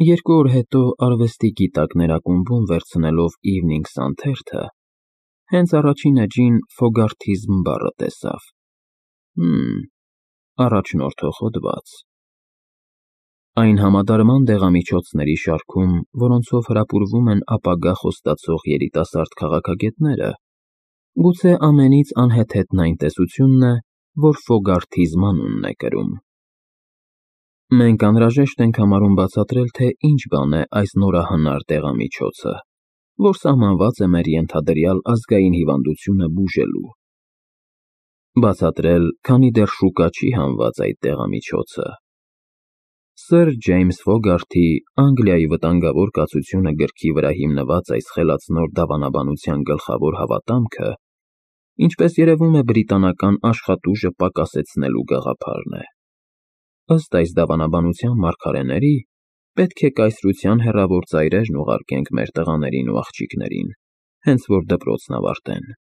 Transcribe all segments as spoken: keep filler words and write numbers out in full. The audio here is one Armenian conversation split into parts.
Երկու օր հետո արվեստի գիտակներ ակումբում վերցնելով Evening Sun թերթը, հենց առաջին էջին Ֆոգարթիզմ բառը տեսավ. Հըմ, առաջնորդող հոդված։ Այն համադարման դեղամիջոցների շարքում, որոնցով հրապուրվում են ապագա խոստացող երիտասարդ քաղաքագետները, գուցե ամենից անհեթեթն այն տեսությունն է, որ Ֆոգարթիզմ անունն է կրում։ Մենք անհրաժեշտ ենք համարում բացատրել, թե ինչ բան է այս նորահնար դեղամիջոցը, որ սահմանված է մեր ենթադրյալ ազգային հիվանդությունը բուժելու։ Բացատրել, քանի դեռ շուկա չի հանված այդ դեղամիջոցը։ Սըր Ջեյմս Ֆոգարթի «Անգլիայի վտանգավոր կացությունը» գրքի վրա հիմնված այս խելացնոր դավանաբանության գլխավոր հավատամքը, ինչպես երևում է, բրիտանական աշխատուժը պակասեցնելու գաղափարն է։ Ըստ այս դավանաբանության մարգարեների, պետք է կայսրության հեռավոր ծայրերն ուղարկենք մեր տղաներին ու աղջիկներին, հենց որ դպրոցն ավարտեն։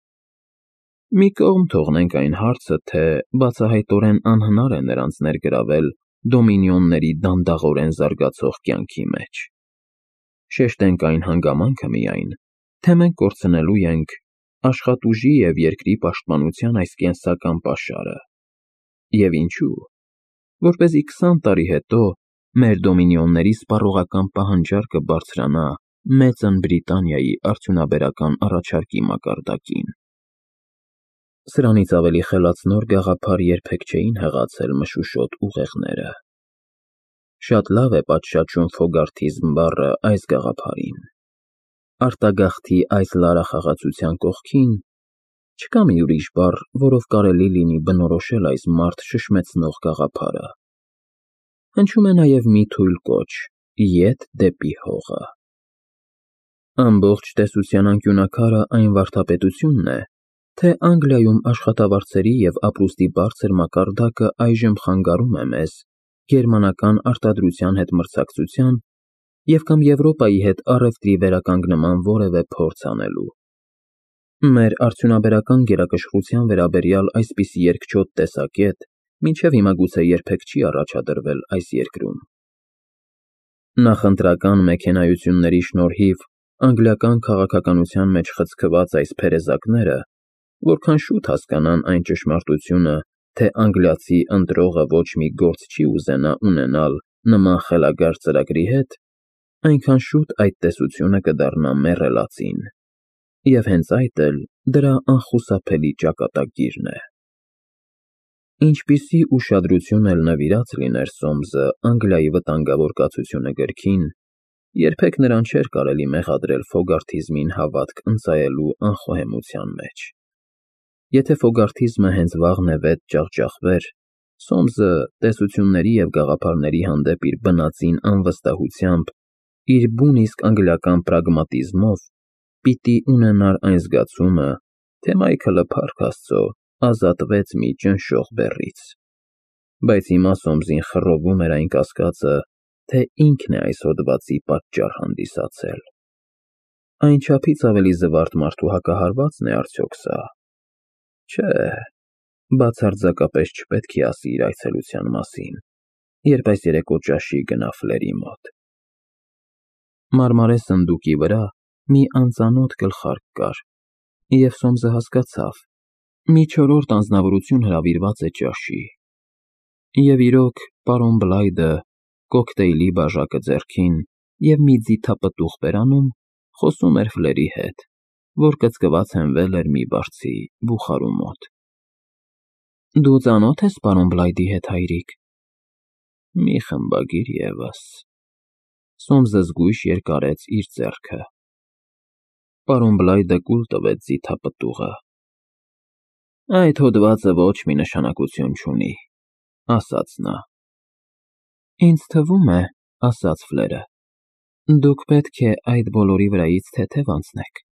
Մի կողմ թողնենք այն հարցը, թե բացահայտորեն անհնար է նրանց ներգրավել դոմինիոնների դանդաղորեն զարգացող կյանքի մեջ։ Շեշտենք այն հանգամանքը միայն, թե մենք կորցնելու ենք աշխատուժի և երկրի պաշտպանության այս կենսական պաշարը։ Եվ ինչու՞։ Որպեսզի քսան տարի հետո մեր դոմինիոնների սպառողական պահանջարկը բարձրանա Մեծն Բրիտանիայի արդյունաբերական առաջարկի մակարդակին։ Սրանից ավելի խելացնոր գաղափար երբեք չէին հղացել մշուշոտ ուղեղները։ Շատ լավ է պատշաճում Ֆոգարթիզմ բառը այս գաղափարին։ Արտագաղթի այս լարախաղացության կողքին չկա մի ուրիշ բառ, որով կարելի լինի բնորոշել այս մարդ շշմեցնող գաղափարը։ Հնչում է նաև մի թույլ կոչ՝ ետ դեպի հողը։ Ամբողջ տեսության անկյունաքարը այն վարդապետությունն է, թե Անգլիայում աշխատավարձերի և ապրուստի բարձր մակարդակը այժմ խանգարում է մեզ գերմանական արտադրության հետ մրցակցության և կամ Եվրոպայի հետ առևտրի վերականգնման որևէ փորձ անելու։ Մեր արդյունաբերական գերակշռության վերաբերյալ այսպիսի երկչոտ տեսակետ մինչև հիմա գուցե երբեք չի առաջադրվել այս երկրում։ Նախընտրական մեքենայությունների շնորհիվ անգլիական քաղաքականության մեջ խցկված այս փերեզակները որքան շուտ հասկանան այն ճշմարտությունը, թե անգլիացի ընտրողը ոչ մի գործ չի ուզենա ունենալ նման խելագար ծրագրի հետ, այնքան շուտ այդ տեսությունը կդառնա մեռելածին, և հենց այդ էլ դրա անխուսափելի ճակատագիրն է։ Ինչպիսի ուշադրություն էլ նվիրած լիներ Սոմսը «Անգլիայի վտանգավոր կացությունը» գրքին, երբեք նրան չէր կարելի մեղադրել Ֆոգարթիզմին հավատք ընծայելու անխոհեմության մեջ։ Եթե Ֆոգարթիզմը հենց վաղնևեթ ջախջախվեր, Սոմսը տեսությունների և գաղափարների հանդեպ իր բնածին անվստահությամբ, իր բուն իսկ անգլիական պրագմատիզմով պիտի ունենար այն զգացումը, թե Մայքլը, փառք Աստծո, ազատվեց մի ճնշող բեռից։ Բայց հիմա Սոմսին խռովում էր այն կասկածը, թե ինքն է այս հոդվածի պատճառ հանդիսացել։ Այնչափից ավելի զվարթ մարդու հակահարվա՞ծն է արդյոք սա։ Չէ, բացարձակապես չպետք է ասի իր այցելության մասին, երբ այս երեկո ճաշի գնա Ֆլերի մոտ։ Մարմարե սնդուկի վրա մի անծանոթ գլխարկ կար, և Սոմսը հասկացավ՝ մի չորրորդ անձնավորություն հրավիրված է ճաշի։ Եվ իրոք, պարոն Բլայդը, կոկտեյլի բաժակը ձեռքին և մի ձիթապտուղ բերանում, խոսում էր Ֆլերի հետ, որ կծկված հենվել էր մի բարձի բուխարու մոտ։ Դու ծանո՞թ ես պարոն Բլայդի հետ, հայրիկ։ Մի խմբագիր ևս։ Սոմսը զգույշ երկարեց իր ձեռքը։ Պարոն Բլայդը կուլ տվեց ձիթապտուղը։ Այդ հոդվածը ոչ մի նշանակություն չունի, ասաց նա։ Ինձ թվում է, ասաց Ֆլերը, դուք պետք է այդ բոլորի վրայից թեթև անցնեք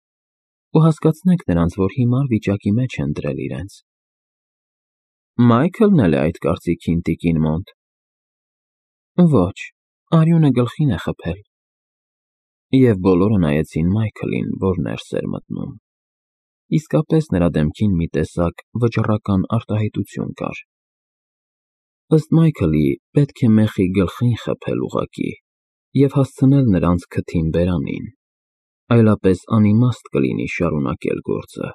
ու հասկացնեք նրանց, որ հիմար վիճակի մեջ են դրել իրենց։ Մայքլն էլ է այդ կարծիքին, տիկին Մոնտ։ Ոչ, արյունը գլխին է խփել։ Եվ բոլորը նայեցին Մայքլին, որ ներս էր մտնում։ Իսկապես նրա դեմքին մի տեսակ վճռական արտահայտություն կար։ Ըստ Մայքլի, պետք է մեխի գլխին խփել ուղղակի, և հասցնել նրանց քթին բերանին, այլապես անիմաստ կլինի շարունակել գործը։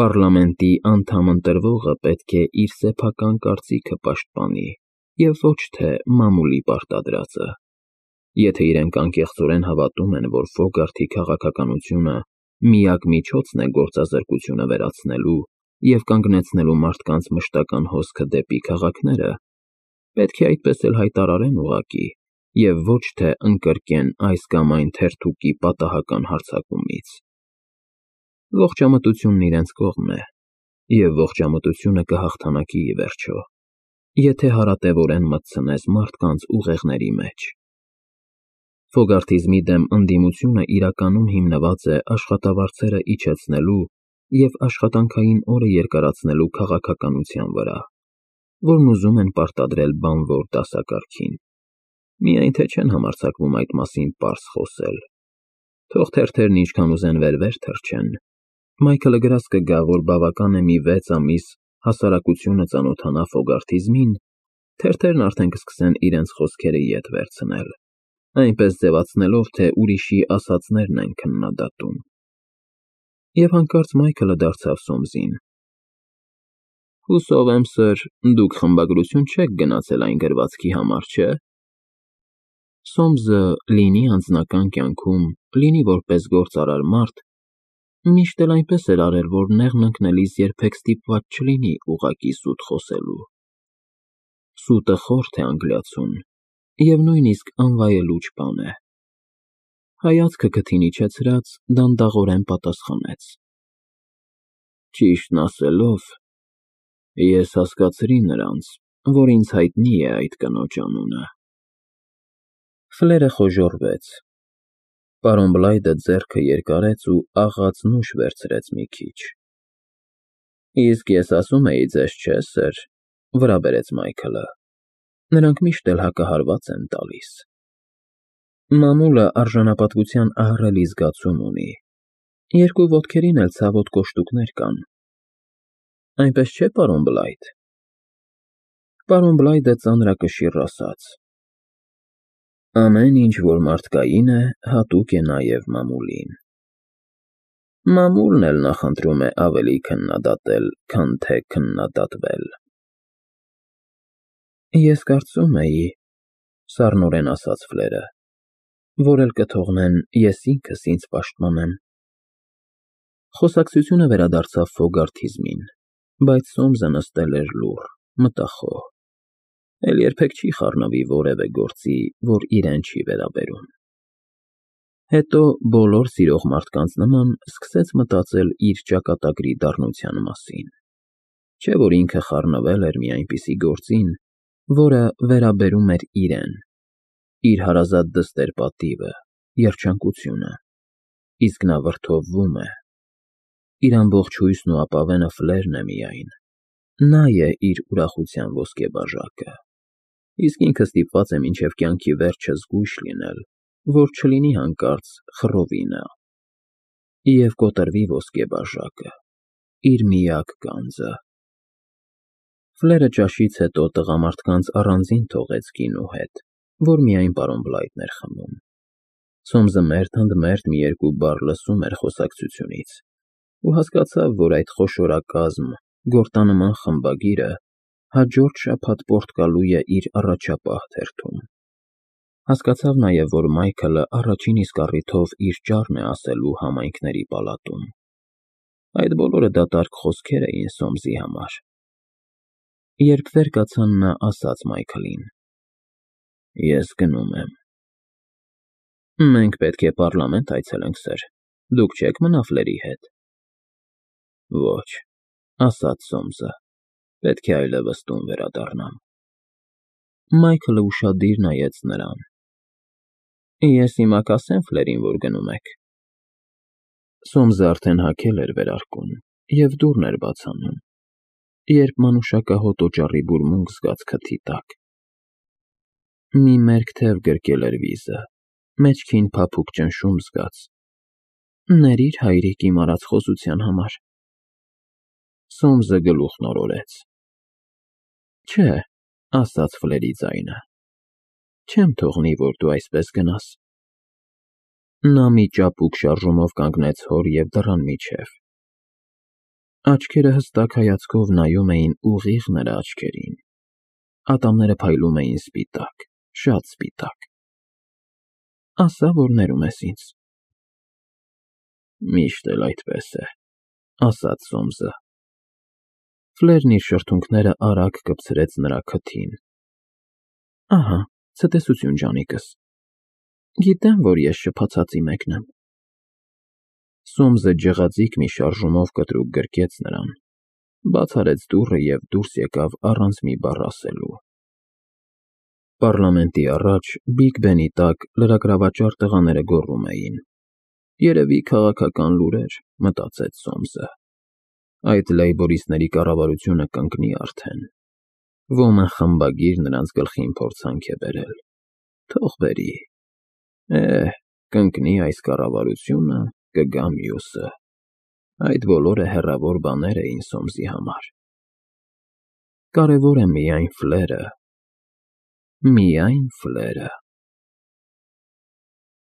Պառլամենտի անդամ ընտրվողը պետք է իր սեփական կարծիքը պաշտպանի և ոչ թե մամուլի պարտադրածը։ Եթե իրենք անկեղծորեն հավատում են, որ Ֆոգարթի քաղաքականությունը միակ միջոցն է գործազրկությունը վերացնելու և կանգնեցնելու մարդկանց մշտական հոսքը դեպի քաղաքները, պետք է այդպես էլ հայտարարեն ուղղակի և ոչ թե ընկրկեն այս կամ այն թերթուկի պատահական հարձակումից։ Ողջամտությունն իրենց կողմն է, և ողջամտությունը կհաղթանակի ի վերջո, եթե հարատևորեն մտցնես մարդկանց ուղեղների մեջ։ Ֆոգարթիզմի դեմ ընդդիմությունը իրականում հիմնված է աշխատավարձերը իջեցնելու և աշխատանքային օրը երկարացնելու քաղաքականության վրա, որն ուզում են պարտադրել բանվոր դասակարգին։ Միայն թե չեն համարձակվում այդ մասին պարզ խոսել։ Թող թերթերն ինչքան ուզեն վեր-վեր թռչեն, Մայքլը գրած կգա, որ բավական է մի վեց ամիս հասարակությունը ծանոթանա Ֆոգարթիզմին, թերթերն արդեն կսկսեն իրենց խոսքերը ետ վերցնել, այնպես ձևացնելով, թե ուրիշի ասածներն են քննադատում։ Եվ հանկարծ Մայքլը դարձավ Սոմսին. Հուսով եմ, սըր, դուք խմբագրություն չեք գնացել այն գրվածքի համար, չէ՞։ Սոմսը լինի անձնական կյանքում, լինի որպես գործարար մարդ, միշտ էլ այնպես էր արել, որ նեղն ընկնելիս երբեք ստիպված չլինի ուղղակի սուտ խոսելու։ Սուտը խորթ է անգլիացուն և նույնիսկ անվայելուչ բան է։ Հայացքը քթին իջեցրած, դանդաղորեն պատասխանեց. Ճիշտն ասելով, ես հասկացրի նրանց, որ ինձ հայտնի է այդ կնոջ անունը։ Ֆլերը խոժոռվեց։ Պարոն Բլայդը ձեռքը երկարեց ու աղաց նուշ վերցրեց մի քիչ։ Իսկ ես ասում էի ձեզ, չէ՞, սըր, վրա բերեց Մայքլը, նրանք միշտ էլ հակահարված են տալիս։ Մամուլը արժանապատվության ահռելի զգացում ունի, երկու ոտքերին էլ ցավոտ կոշտուկներ կան։ Այնպես չէ՞, պարոն Բլայդ։ Պարոն Բլայդը ծանրակշիռ ասաց. Ամեն ինչ, որ մարդկային է, հատուկ է նաև մամուլին։ Մամուլն էլ նախընտրում է ավելի քննադատել, քան թե քննադատվել։ Ես կարծում էի, սառնորեն ասաց Ֆլերը, որ էլ կթողնեն, ես ինքս ինձ պաշտպանեմ։ Խոսակցությունը վերադարձավ Ֆոգարթիզմին, բայց Սոմսը նստել էր լուռ, մտախոհ։ Էլ երբեք չի խառնվի որևէ գործի, որ իրեն չի վերաբերում։ Հետո, բոլոր սիրող մարդկանց նման, սկսեց մտածել իր ճակատագրի դառնության մասին։ Չէ՞ որ ինքը խառնվել էր մի այնպիսի գործին, որը վերաբերում էր իրեն, իր հարազատ դստեր֊պատիվը, երջանկությունը, իսկ նա վրդովվում է։ Իր ամբողջ հույսն ու ապավենը Ֆլերն է միայն, նա է իր ուրախության ոսկեբաժակը, իսկ ինքը ստիպված է մինչև կյանքի վերջը զգույշ լինել, որ չլինի հանկարծ խռովի նա և կոտրվի ոսկեբաժակը, իր միակ գանձը։ Ֆլերը ճաշից հետո տղամարդկանց առանձին թողեց գինու հետ, որ միայն պարոն Բլայդն էր խմում։ Սոմսը մերթ-ընդ-մերթ մի երկու բառ լսում էր խոսակցությունից ու հասկացավ, որ այդ խոշորակազմ, գորտանման խմբագիրը հաջորդ շաբաթ Պորտկալու է իր առաջապահ թերթում։ Հասկացավ նաև, որ Մայքլը առաջին իսկ առիթով իր ճառն է ասելու համայնքների պալատում։ Այդ բոլորը դատարկ խոսքեր էին Սոմսի համար։ Երբ վեր կացան, նա ասաց Մայքլին. Ես գնում եմ։ Մենք պետք է պառլամենտ այցելենք, սըր, դուք չե՞ք մնա Ֆլերի հետ։ Ոչ, ասաց Սոմսը, պետք է այլևս տուն վերադառնամ։ Մայքլը ուշադիր նայեց նրան։ Ես հիմա կասե՞մ Ֆլերին, որ գնում եք։ Սոմսը արդեն հագել էր վերարկուն և դուռն էր բաց անում, երբ մանուշակահոտ օճառի բուրմունք զգաց քթի տակ։ Մի մերկ թև գրկել էր վիզը, մեջքին փափուկ ճնշում զգաց։ Ներիր, հայրիկ, իմ արած խոսության համար։ Սոմսը գլուխն օրորեց։ Չէ, ասաց Ֆլերի ձայնը։ Չեմ թողնի, որ դու այսպես գնաս։ Նա մի ճապուկ շարժումով կանգնեց հոր և դռան միջև։ Աչքերը հստակ հայացքով նայում էին ուղիղ նրա աչքերին, ատամները փայլում էին սպիտակ, շատ սպիտակ։ Ասա, որ ներում ես ինձ։ Միշտ էլ այդպես է, ասաց Սոմսը։ Ֆլերն իր շրթունքները արագ կպցրեց նրա քթին։ Ահա, ցտեսություն, ջանիկս, գիտեմ, որ ես շփոթածի մեկն եմ։ Սոմսը ջղաձիգ մի շարժումով կտրուկ գրկեց նրան, բաց արեց դուռը և դուրս եկավ առանց մի բառ ասելու։ Պառլամենտի առաջ, Բիգ Բենի տակ լրագրավաճառ տղաները գոռում էին։ Երևի քաղաքական լուրեր, մտածեց Սոմսը։ Այդ լեյբորիստների կառավարությունը կընկնի արդեն։ Ոմն խմբագիր նրանց գլխին փորձանք է բերել։ Թող բերի։ Էհ, կընկնի այս կառավարությունը, կգա մյուսը։ Այդ բոլորը հեռավոր բաներ էին Սոմսի համար։ Կարևոր է միայն Ֆլերը։ Միայն Ֆլերը։